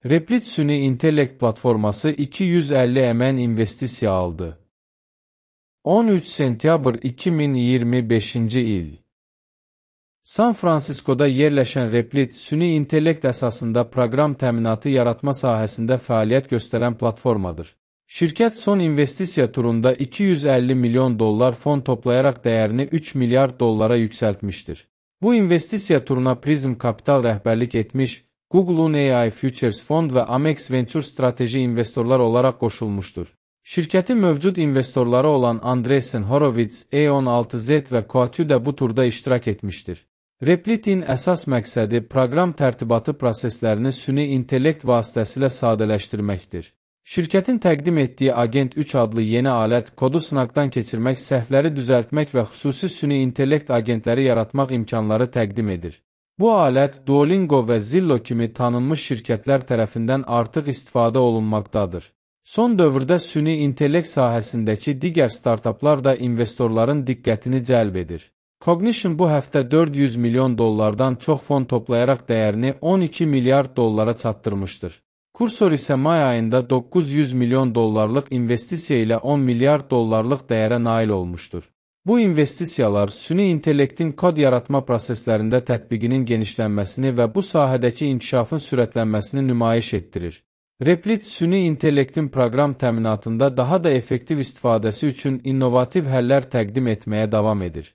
Replit süni intellekt platforması 250 MN investisiya aldı. 13 sentyabr 2025-ci il. San Fransiskoda yerləşən Replit süni intellekt əsasında proqram təminatı yaratma sahəsində fəaliyyət göstərən platformadır. Şirkət son investisiya turunda $250 milyon fon toplayaraq dəyərini $3 milyard yüksəltmişdir. Bu investisiya turuna Prism Capital rəhbərlik etmiş, Google AI Futures Fond və Amex Venture strateji investorlar olaraq qoşulmuşdur. Şirkətin mövcud investorları olan Andreessen Horowitz, E16Z və Coatue də bu turda iştirak etmişdir. Replitin əsas məqsədi proqram tərtibatı proseslərini süni intellekt vasitəsilə sadələşdirməkdir. Şirkətin təqdim etdiyi Agent 3 adlı yeni alət kodu sınaqdan keçirmək, səhvləri düzəltmək və xüsusi süni intellekt agentləri yaratmaq imkanları təqdim edir. Bu alət Duolingo və Zillow kimi tanınmış şirkətlər tərəfindən artıq istifadə olunmaqdadır. Son dövrdə süni intellekt sahəsindəki digər startaplar da investorların diqqətini cəlb edir. Cognition bu həftə $400 milyon çox fon toplayaraq dəyərini $12 milyard çatdırmışdır. Kursor isə may ayında $900 milyon investisiya ilə $10 milyard dəyərə nail olmuşdur. Bu investisiyalar süni intellektin kod yaratma proseslərində tətbiqinin genişlənməsini və bu sahədəki inkişafın sürətlənməsini nümayiş etdirir. Replit süni intellektin proqram təminatında daha da effektiv istifadəsi üçün innovativ həllər təqdim etməyə davam edir.